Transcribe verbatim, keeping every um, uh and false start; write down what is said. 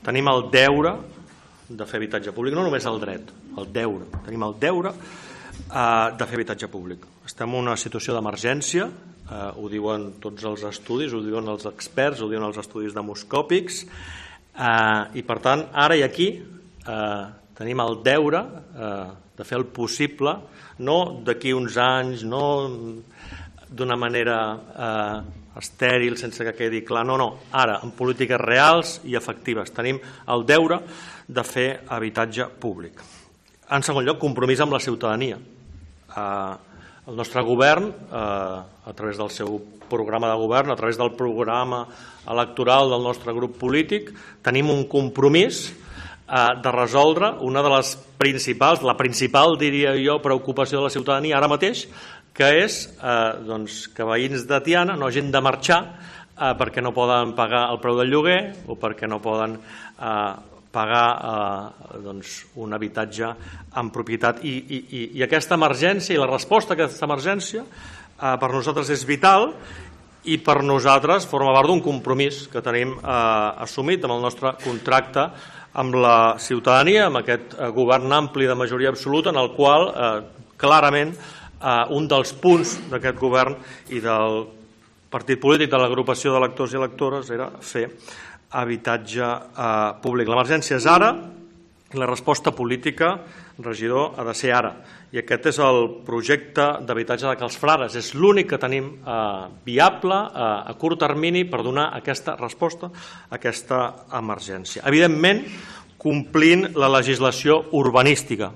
tenim el deure de fer habitatge públic, no només el dret, el deure. Tenim el deure de fer habitatge públic. Estem en una situació d'emergència, ho diuen tots els estudis, ho diuen els experts, ho diuen els estudis demoscòpics, i per tant, ara i aquí tenim el deure de fer el possible, no d'aquí uns anys, no d'una manera estèril, sense que quedi clar, no, no, ara, en polítiques reals i efectives, tenim el deure de fer habitatge públic. En segon lloc, compromís amb la ciutadania. El nostre govern, a través del seu programa de govern, a través del programa electoral del nostre grup polític, tenim un compromís de resoldre una de les principals, la principal, diria jo, preocupació de la ciutadania ara mateix, que és que veïns de Tiana no hagin de marxar perquè no poden pagar el preu del lloguer o perquè no poden pagar un habitatge en propietat. I aquesta emergència i la resposta a aquesta emergència per nosaltres és vital i per nosaltres forma part d'un compromís que tenim assumit amb el nostre contracte amb la ciutadania, amb aquest govern ampli de majoria absoluta, en el qual clarament un dels punts d'aquest govern i del partit polític, de l'agrupació d'electors i electores, era fer habitatge públic. L'emergència és ara i la resposta política, regidor, ha de ser ara. I aquest és el projecte d'habitatge de Cal Frares. És l'únic que tenim viable a curt termini per donar aquesta resposta a aquesta emergència. Evidentment, complint la legislació urbanística.